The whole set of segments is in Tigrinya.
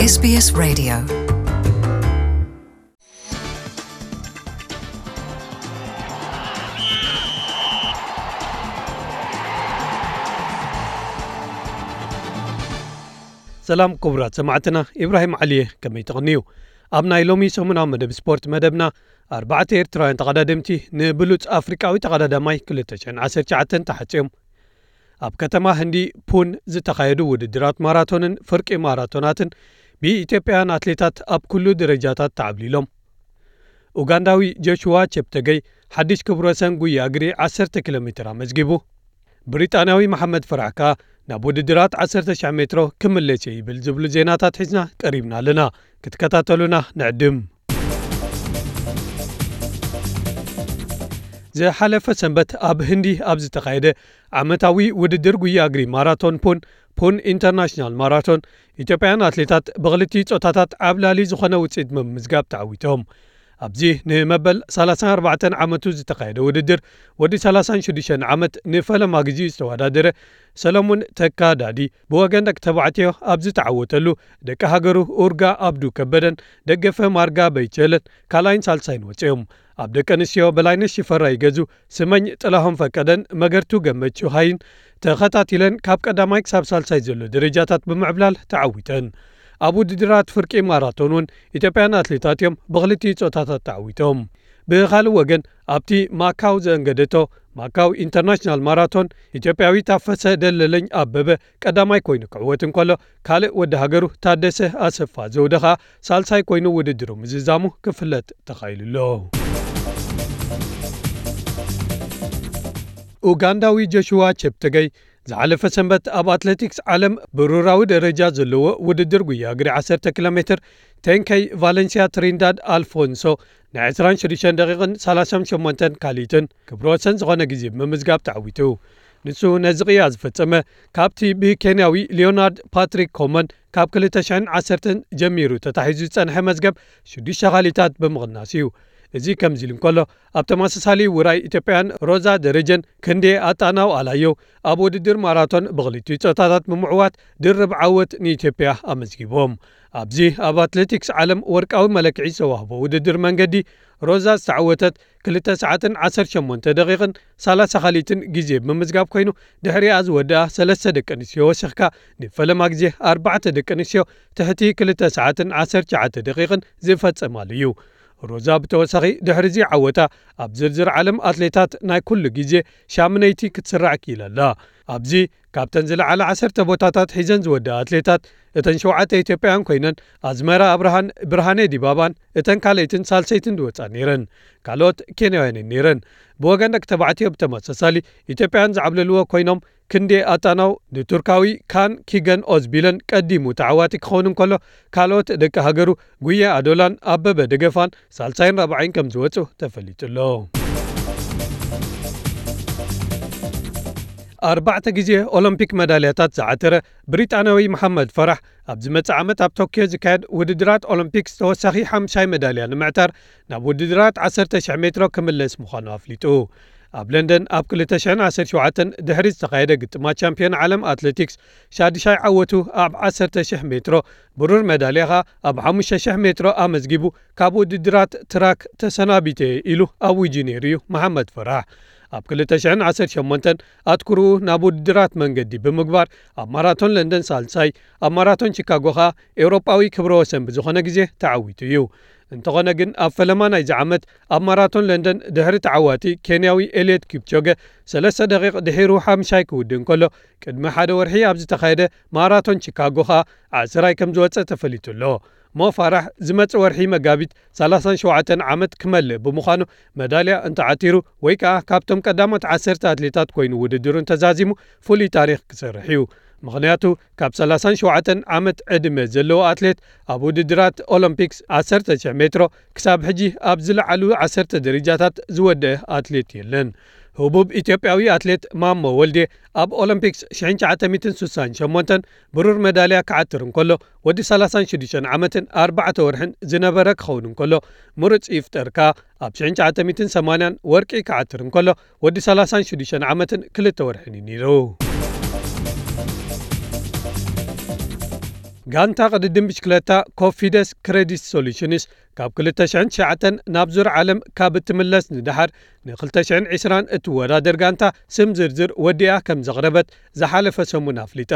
S B S Radio. ሰላም ክቡራት ሰማዕትና፣ ኢብራሂም ዓሊየ፣ ከመይ ትቕንዩ? ኣብ ናይ ሎሚ ሰሙናዊ መደብ ስፖርት መደብና፣ ኣርባዕተ ኤርትራውያን ተቐዳደምቲ ንብሉጽ ኣፍሪቃዊ ተቐዳዳማይ ክልተ ሽሕን ዓሰርተ ትሽዓተን ተሓጽዮም። ኣብ ከተማ ህንዲ ፑን ዝተኻየዱ ውድድራት ማራቶንን ፍርቂ ማራቶናትን ብኢትዮጵያውያን ኣትሌታት ኣብ ኩሉ ደረጃታት ተዓብሊሎም። ኡጋንዳዊ ጆሽዋ ቸፕተገይ ሓድሽ ክብረ ወሰን ጉያ እግሪ ዓሰርተ ኪሎ ሜትር ኣመዝጊቡ። ብሪጣንያዊ መሓመድ ፈራሕ ከኣ ናብ ውድድራት ዓሰርተ ሺሕ ሜትሮ ክምለስ እየ ይብል ዝብሉ ዜናታት ሒዝና ቀሪብና ኣለና። ክትከታተሉና ንዕድም። ዝሓለፈ ሰንበት ኣብ ህንዲ ኣብ ዝተኻየደ ዓመታዊ ውድድር ጉያ እግሪ ማራቶን ፑን፣ ፑን ኢንተርናሽናል ማራቶን፣ ኢትዮጵያውያን ኣትሌታት ብኽልቲኡ ጾታታት ዓብላሊ ዝኾነ ውጽኢት ብምምዝጋብ ተዓዊቶም። ኣብዚ ንመበል ሰላሳን ኣርባዕተን ዓመቱ ዝተኻየደ ውድድር፣ ወዲ ሰላሳን ሽዱሽተን ዓመት ንፈለማ ግዜኡ ዝተወዳደረ ሰለሙን ተካ ዳዲ፣ ብወገን ደቂ ተባዕትዮ ኣብ ዝተዓወተሉ፣ ደቂ ሃገሩ ኡርጋ ኣብዱ ከበደን ደገፈ ማርጋ በይቸለን ካልኣይን ሳልሳይን ወጺኦም። ኣብ ደቂ ኣንስትዮ በላይነሽ ሽፈራው ይገዙ፣ ስመኝ ጥላሁን ፈቀደን መገርቱ ገመቹ ሃይን ተኸታቲለን ካብ ቀዳማይ ክሳብ ሳልሳይ ዘሎ ደረጃታት ብምዕብላል ተዓዊተን። ኣብ ውድድራት ፍርቂ ማራቶን እውን ኢትዮጵያን ኣትሌታት እዮም ብኽልቲኡ ጾታታት ተዓዊቶም። ብኻልእ ወገን፣ ኣብቲ ማካው ዘእንገደቶ ማካው ኢንተርናሽናል ማራቶን፣ ኢትዮጵያዊ ታፈሰ ደለለኝ ኣበበ ቀዳማይ ኮይኑ ክዕወት እንከሎ፣ ካልእ ወዲ ሃገሩ ታደሰ ኣሰፋ ዘውደ ኸኣ ሳልሳይ ኮይኑ ውድድሩ ምዝዛሙ ክፍለጥ ተኻኢሉ ኣሎ። ኡጋንዳዊ ጆሽዋ ቸፕተገይ ዝሓለፈ ሰንበት ኣብ ኣትሌቲክስ ዓለም ብሩራዊ ደረጃ ዘለዎ ውድድር ጉያ እግሪ ዓሰርተ ኪሎ ሜትር ቴንከይ ቫለንሲያ ትሪንዳድ ኣልፎንሶ ን ዕስራን ሽዱሽተን ደቂቕን ሰላሳን ሸሞንተን ካልኢትን ክብረ ወሰን ዝኾነ ግዜ ብምምዝጋብ ተዓዊቱ። ንሱ ነዚ ቅያ ዝፈጸመ ካብቲ ብኬንያዊ ሊዮናርድ ፓትሪክ ኮመን ካብ ክልተ ሽሕን ዓሰርተን ጀሚሩ ተታሒዙ ዝጸንሐ መዝገብ ሽዱሽተ ካልኢታት ብምቕናስ እዩ። እዚ ከምዚ ኢሉ እንከሎ፣ ኣብ ተመሳሳሊ ውራይ ኢትዮጵያን ሮዛ ደረጀን ክንዴ ኣጣናው ኣላዮ ኣብ ውድድር ማራቶን ብኽልቲኡ ጾታታት ብምዕዋት ድርብ ዓወት ንኢትዮጵያ ኣመዝጊቦም። ኣብዚ ኣብ ኣትሌቲክስ ዓለም ወርቃዊ መለክዒ ዝተዋህቦ ውድድር መንገዲ፣ ሮዛ ዝተዓወተት ክልተ ሰዓትን ዓሰርተ ሸሞንተ ደቂቕን ሰላሳ ካልኢትን ግዜ ብምምዝጋብ ኮይኑ፣ ድሕሪኣ ዝወደኣ ሰለስተ ደቂ ኣንስትዮ ወሲኽካ ንፈለማ ግዜ ኣርባዕተ ደቂ ኣንስትዮ ትሕቲ ክልተ ሰዓትን ዓሰርተ ትሽዓተ ደቂቕን ዝፈጸማሉ እዩ። ሮዛ ብተወሳኺ ድሕሪ እዚ ዓወታ ኣብ ዝርዝር ዓለም ኣትሌታት ናይ ኩሉ ግዜ ሻምነይቲ ክትስራዕ ክኢላ ኣላ። ኣብዚ ካብተን ዝለዓላ ዓሰርተ ቦታታት ሒዘን ዝወደኣ ኣትሌታት እተን ሸውዓተ ኢትዮጵያውያን ኮይነን፣ ኣዝመራ ኣብርሃን ብርሃኔ ዲባባን እተን ካልኣይትን ሳልሰይትን ዝወጻ ነይረን። ካልኦት ኬንያውያን ነይረን። ብወገን ደቂ ተባዕትዮ ብተመሳሳሊ ኢትዮጵያውያን ዝዓብለልዎ ኮይኖም፣ ክንዴ ኣጣናው ንቱርካዊ ካን ኪገን ኦዝቢለን ቀዲሙ ተዓዋቲ ክኸውን እንከሎ፣ ካልኦት ደቂ ሃገሩ ጉየ ኣዶላን ኣበበ ደገፋን ሳልሳይን ራብዓይን ከም ዝወጹ ተፈሊጡ ኣሎ። ኣርባዕተ ግዜ ኦሎምፒክ መዳልያታት ዝዓተረ ብሪጣንያዊ መሓመድ ፈራሕ፣ ኣብ ዝመጽእ ዓመት ኣብ ቶክዮ ዝካየድ ውድድራት ኦሎምፒክስ ተወሳኺ ሓምሻይ መዳልያ ንምዕታር ናብ ውድድራት ዓሰርተ ሽሕ ሜትሮ ክምለስ ምዃኑ ኣፍሊጡ። ኣብ ለንደን ኣብ ክልተ ሽሕን ዓሰርተ ሸውዓተን ድሕሪ ዝተኻየደ ግጥማት ቻምፒዮን ዓለም ኣትሌቲክስ፣ ሻድሻይ ዓወቱ ኣብ ዓሰርተ ሽሕ ሜትሮ፣ ብሩር መዳልያ ኸኣ ኣብ ሓሙሽተ ሽሕ ሜትሮ ኣመዝጊቡ፣ ካብ ውድድራት ትራክ ተሰናቢተ ኢሉ ኣዊጁ ነይሩ እዩ መሓመድ ፈራሕ። ኣብ ክልተ ሽሕን ዓሰርተ ሸሞንተን ኣትኩርኡ ናብ ውድድራት መንገዲ ብምግባር፣ ኣብ ማራቶን ለንደን ሳልሳይ፣ ኣብ ማራቶን ቺካጎ ኸኣ ኤውሮጳዊ ክብረ ወሰን ብዝኾነ ግዜ ተዓዊቱ እዩ። እንተኾነ ግን፣ ኣብ ፈለማ ናይዚ ዓመት ኣብ ማራቶን ለንደን ድሕሪ ተዓዋቲ ኬንያዊ ኤልየት ኪፕቾገ ሰለስተ ደቂቕ ድሒሩ ሓምሻይ ክውድእ እንከሎ፣ ቅድሚ ሓደ ወርሒ ኣብ ዝተኻየደ ማራቶን ቺካጎ ኸኣ ዓስራይ ከም ዝወጸ ተፈሊጡ ኣሎ። ሞ ፋራሕ ዝመጽእ ወርሒ መጋቢት ሰላሳን ሸውዓተን ዓመት ክመልእ ብምዃኑ፣ መዳልያ እንተዓቲሩ ወይ ከኣ ካብቶም ቀዳሞት ዓሰርተ ኣትሌታት ኮይኑ ውድድሩ እንተዛዚሙ፣ ፍሉይ ታሪኽ ክሰርሕ እዩ። ምኽንያቱ፣ ካብ ሰላሳን ሸውዓተን ዓመት ዕድመ ዘለዎ ኣትሌት ኣብ ውድድራት ኦሎምፒክስ ዓሰርተ ሽሕ ሜትሮ ክሳብ ሕጂ ኣብ ዝለዓሉ ዓሰርተ ደረጃታት ዝወደአ ኣትሌት የለን። ህቡብ ኢትዮጵያዊ ኣትሌት ማሞ ወልዴ ኣብ ኦሎምፒክስ ሽሕን ትሽዓተ ሚእትን ስሳን ሸሞንተን ብሩር መዳልያ ክዓትር እንከሎ፣ ወዲ ሰላሳን ሽዱሽተን ዓመትን ኣርባዕተ ወርሕን ዝነበረ ክኸውን እንከሎ፣ ምሩጽ ይፍጠር ከኣ ኣብ ሽሕን ትሽዓተ ሚእትን ሰማንያን ወርቂ ክዓትር እንከሎ፣ ወዲ ሰላሳን ሽዱሽተን ዓመትን ክልተ ወርሕን እዩ ነይሩ። ጋንታ ቅድድም ብሽክለታ ኮፊደስ ክሬዲት ሶሉሽንስ ካብ ክልተ ሽሕን ትሽዓተን ናብ ዙር ዓለም ካብ እትምለስ ንደሓር፣ ን ክልተ ሽሕን ዕስራን እትወዳደር ጋንታ ስም ዝርዝር ወዲኣ ከም ዘቕረበት ዝሓለፈ ሰሙን ኣፍሊጣ።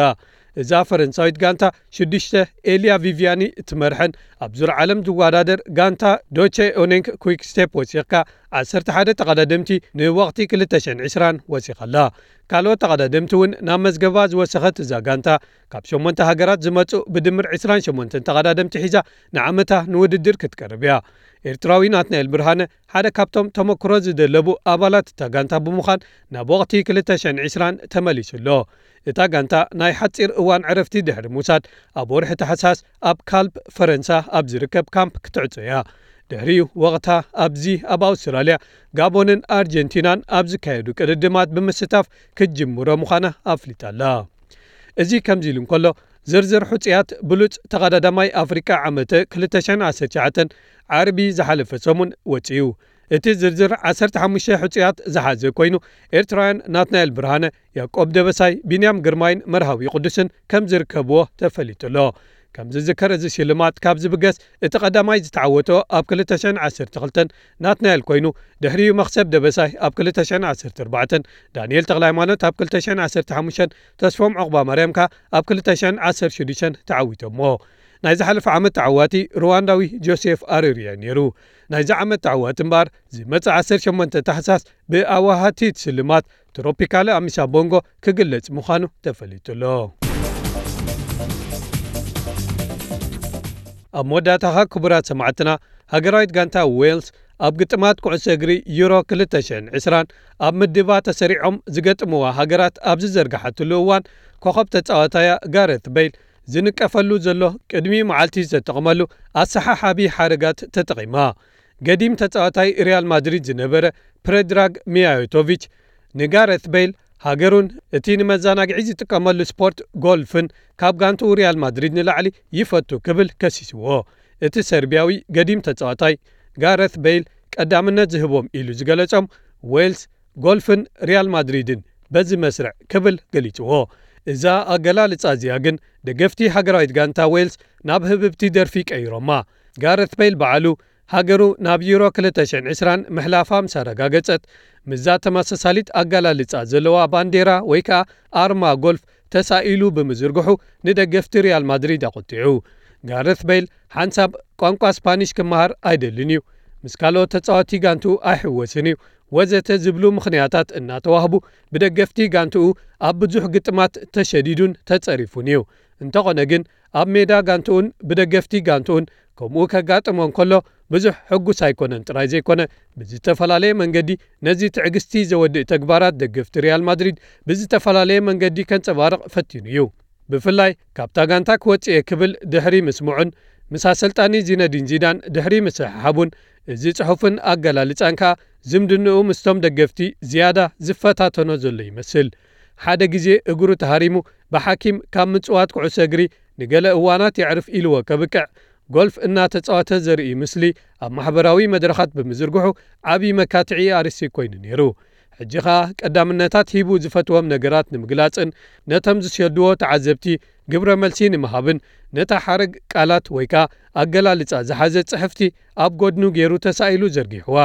እዛ ፈረንሳዊት ጋንታ ሽዱሽተ ኤልያ ቪቪያኒ እትመርሐን ኣብ ዙር ዓለም ዝወዳደር ጋንታ ዶቼ ኦኔንክ ኩይክ ስቴፕ ወሲኽካ ዓሰርተ ሓደ ተቐዳደምቲ ንወቕቲ ክልተ ሽሕን ዕስራን ወሲኻላ። ካልኦት ተቐዳደምቲ እውን ናብ መዝገባ ዝወሰኸት እዛ ጋንታ ካብ ሸሞንተ ሃገራት ዝመጹ ብድምር ዕስራን ሸሞንተን ተቐዳደምቲ ሒዛ ንዓመታ ንውድድር ክትቀርብ እያ። ኤርትራዊ ናትናኤል ብርሃነ ሓደ ካብቶም ተመክሮ ዝደለቡ ኣባላት እታ ጋንታ ብምዃን ናብ ወቕቲ ክልተ ሽሕን ዕስራን ተመሊሱ ኣሎ። እታ ጋንታ ናይ ሓጺር እዋን ዕረፍቲ ድሕሪ ምውሳድ ኣብ ወርሒ ታሕሳስ ኣብ ካልፕ ፈረንሳ ኣብ ዝርከብ ካምፕ ክትዕጾ እያ። ድሕሪኡ ወቕታ ኣብዚ ኣብ ኣውስትራልያ፣ ጋቦንን ኣርጀንቲናን ኣብ ዝካየዱ ቅድድማት ብምስታፍ ክትጅምሮ ምዃና ኣፍሊጣ ኣላ። እዚ ከምዚ ኢሉ እንከሎ፣ ዝርዝር ሕጹያት ብሉጽ ተቐዳዳማይ ኣፍሪቃ ዓመተ ክልተ ሽሕን ዓሰርተ ትሽዓተን ዓርቢ ዝሓለፈ ሰሙን ወጺኡ። እቲ ዝርዝር ዓሰርተ ሓሙሽተ ሕጹያት ዝሓዘ ኮይኑ፣ ኤርትራውያን ናትናኤል ብርሃነ፣ ያቆብ ደበሳይ፣ ቢንያም ግርማይን መርሃዊ ቅዱስን ከም ዝርከብዎ ተፈሊጡ ኣሎ። ከም ዝዝከር፣ እዚ ሽልማት ካብ ዝብገስ እቲ ቀዳማይ ዝተዓወቶ ኣብ ክልተ ሽሕን ዓሰርተ ክልተን ናትናኤል ኮይኑ፣ ድሕሪኡ መኽሰብ ደበሳይ ኣብ ክልተ ሽሕን ዓሰርተ ኣርባዕተን፣ ዳንኤል ተኽለሃይማኖት ኣብ ክልተ ሽሕን ዓሰርተ ሓሙሽተን፣ ተስፎም ዑቕባማርያም ከኣ ኣብ ክልተ ሽሕን ዓሰርተ ሽዱሽተን ተዓዊቶሞ። ናይ ዝሓለፈ ዓመት ተዓዋቲ ሩዋንዳዊ ጆሴፍ ኣሩሪያ ነይሩ። ናይዚ ዓመት ተዓዋቲ እምበኣር፣ ዝመጽእ ዓሰርተ ሸሞንተ ታሕሳስ ብኣዋሃቲ እቲ ሽልማት ትሮፒካለ ኣሚሳ ቦንጎ ክግለጽ ምዃኑ ተፈሊጡ ኣሎ። ኣብ መወዳእታኻ ክቡራት ሰማዕትና፣ ሃገራዊት ጋንታ ዌልስ ኣብ ግጥማት ኩዕሶ እግሪ ዩሮ ክልተ ሽሕን ዕስራን ኣብ ምድባ ተሰሪዖም ዝገጥምዋ ሃገራት ኣብ ዝዘርግሓትሉ እዋን፣ ኮኸብ ተጻዋታያ ጋረት ቤይል ዝንቀፈሉ ዘሎ ቅድሚ መዓልቲ ዝተጠቕመሉ ኣሰሓሓቢ ሓረጋት ተጠቒማ። ገዲም ተጻዋታይ ሪያል ማድሪድ ዝነበረ ፕሬድራግ ሚያቶቪች ንጋረት ቤይል ሃገሩን እቲ ንመዘናግዒ ዝጥቀመሉ ስፖርት ጎልፍን ካብ ጋንትኡ ሪያል ማድሪድ ንላዕሊ ይፈቱ ክብል ከሲስዎ። እቲ ሰርቢያዊ ገዲም ተጻዋታይ ጋረት ቤይል ቀዳምነት ዝህቦም ኢሉ ዝገለጾም ዌልስ፣ ጎልፍን ሪያል ማድሪድን በዚ መስርዕ ክብል ገሊጽዎ። እዛ ኣገላልጻ እዚኣ ግን ደገፍቲ ሃገራዊት ጋንታ ዌልስ ናብ ህብብቲ ደርፊ ቀይሮማ። ጋረት ቤይል በዓሉ ሃገሩ ናብ ዩሮ ክልተ ሽሕን ዕስራን ምሕላፋ ምስ ኣረጋገጸት፣ ምስዛ ተመሳሳሊት ኣገላልጻ ዘለዋ ባንዴራ ወይ ከኣ ኣርማ ጎልፍ ተሳኢሉ ብምዝርግሑ ንደገፍቲ ሪያል ማድሪድ ኣቖጢዑ። ጋረት ቤይል ሓንሳብ ቋንቋ ስፓኒሽ ክመሃር ኣይደልን እዩ፣ ምስ ካልኦት ተጻወትቲ ጋንትኡ ኣይሕወስን እዩ፣ ወዘተ ዝብሉ ምኽንያታት እናተዋህቡ ብደገፍቲ ጋንትኡ ኣብ ብዙሕ ግጥማት ተሸዲዱን ተጸሪፉን እዩ። እንተኾነ ግን ኣብ ሜዳ ጋንትኡን ብደገፍቲ ጋንትኡን ከምኡ ከጋጥሞ እንከሎ ብዙሕ ሕጉስ ኣይኮነን ጥራይ ዘይኮነ፣ ብዝተፈላለየ መንገዲ ነዚ ትዕግስቲ ዘወድእ ተግባራት ደገፍቲ ሪያል ማድሪድ ብዝተፈላለየ መንገዲ ከንጸባርቕ ፈቲኑ እዩ። ብፍላይ ካብታ ጋንታ ክወጽእ እየ ክብል ድሕሪ ምስምዑን ምስ ኣሰልጣኒ ዚነዲን ዚዳን ድሕሪ ምስሕሓቡን፣ እዚ ጽሑፍን ኣገላልጻን ከኣ ዝምድንኡ ምስቶም ደገፍቲ ዝያዳ ዝፈታተኖ ዘሎ ይመስል። ሓደ ግዜ እግሩ ተሃሪሙ ብሓኪም ካብ ምጽዋት ኩዕሶ እግሪ ንገለ እዋናት የዕርፍ ኢልዎ ከብቅዕ፣ ጎልፍ እናተጻወተ ዘርኢ ምስሊ ኣብ ማሕበራዊ መድረኻት ብምዝርግሑ ዓቢ መካትዒ ኣርእስቲ ኮይኑ ነይሩ። ሕጂ ኸኣ ቀዳምነታት ሂቡ ዝፈትዎም ነገራት ንምግላጽን ነቶም ዝሰድዎ ተዓዘብቲ ግብረ መልሲ ንምሃብን ነታ ሓረግ ቃላት ወይ ከኣ ኣገላልጻ ዝሓዘ ጽሕፍቲ ኣብ ጎድኑ ገይሩ ተሳኢሉ ዘርጊሕዋ።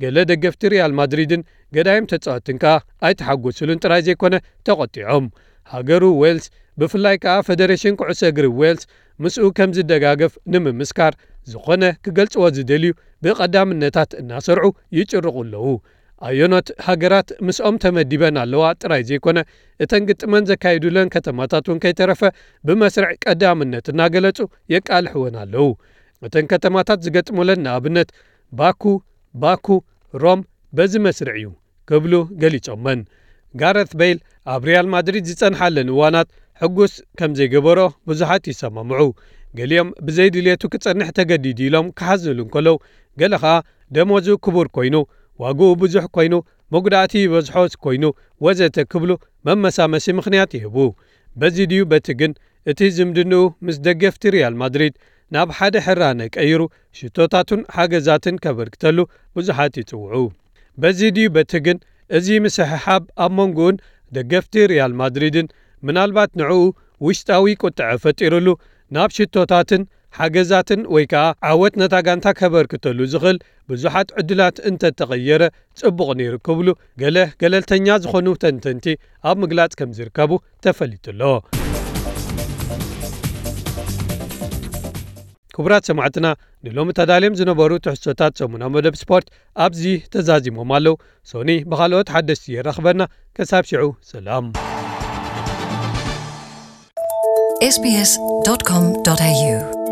ገለ ደገፍቲ ሪያል ማድሪድን ገዳይም ተጻወትትን ከኣ ኣይተሓጎስሉን ጥራይ ዘይኮነ ተቖጢዖም። ሃገሩ ዌልስ ብፍላይ ከኣ ፈደሬሽን ኩዕሶ እግሪ ዌልስ ምስኡ ከም ዝደጋገፍ ንምምስካር ዝኾነ ክገልጽዎ ዝደልዩ ብቐዳምነታት እናሰርዑ ይጭርቑ ኣለዉ። ኣየኖት ሃገራት ምስኦም ተመዲበን ኣለዋ ጥራይ ዘይኮነ፣ እተን ግጥመን ዘካይዱለን ከተማታት እውን ከይተረፈ ብመስርዕ ቀዳምነት እናገለጹ የቃልሕወን ኣለዉ። እተን ከተማታት ዝገጥሙለን ንኣብነት ባኩ፣ ባኩ፣ ሮም በዚ መስርዕ እዩ ክብሉ ገሊጾመን። ጋረት ቤይል ኣብ ሪያል ማድሪድ ዝጸንሓለን እዋናት ሕጉስ ከም ዘይገበሮ ብዙሓት ይሰማምዑ። ገሊኦም ብዘይ ድልየቱ ክጸንሕ ተገዲዱ ኢሎም ክሓዝኑሉ እንከለዉ፣ ገለ ኸኣ ደሞዙ ክቡር ኮይኑ፣ ዋግኡ ብዙሕ ኮይኑ፣ መጉዳእቲ ይበዝሖ ኮይኑ ወዘተ ክብሉ መመሳመሲ ምኽንያት ይህቡ። በዚ ድዩ በቲ ግን እቲ ዝምድንኡ ምስ ደገፍቲ ሪያል ማድሪድ ናብ ሓደ ሕራነ ቀይሩ ሽቶታቱን ሓገዛትን ከበርክተሉ ብዙሓት ይጽውዑ። በዚ ድዩ በቲ ግን እዚ ምስሕሓብ ኣብ መንጎኡን ደገፍቲ ሪያል ማድሪድን ምናልባት ንዕኡ ውሽጣዊ ቁጥዐ ፈጢሩሉ ናብ ሽቶታትን ሓገዛትን ወይ ከዓ ዓወት ነታ ጋንታ ከበርክተሉ ዝኽእል ብዙሓት ዕድላት እንተተቐየረ ጽቡቕ ነይሩ ክብሉ ገለ ገለልተኛ ዝኾኑ ተንተንቲ ኣብ ምግላጽ ከም ዝርከቡ ተፈሊጡ ኣሎ። ክቡራት ሰማዕትና፣ ንሎሚ ተዳልዮም ዝነበሩ ትሕዝቶታት ሰሙናዊ መደብ ስፖርት ኣብዚ ተዛዚሞም ኣለዉ። ሶኒ ብኻልኦት ሓደስቲ የራኽበና። ከሳብ ሽዑ ሰላም። sbs.com.au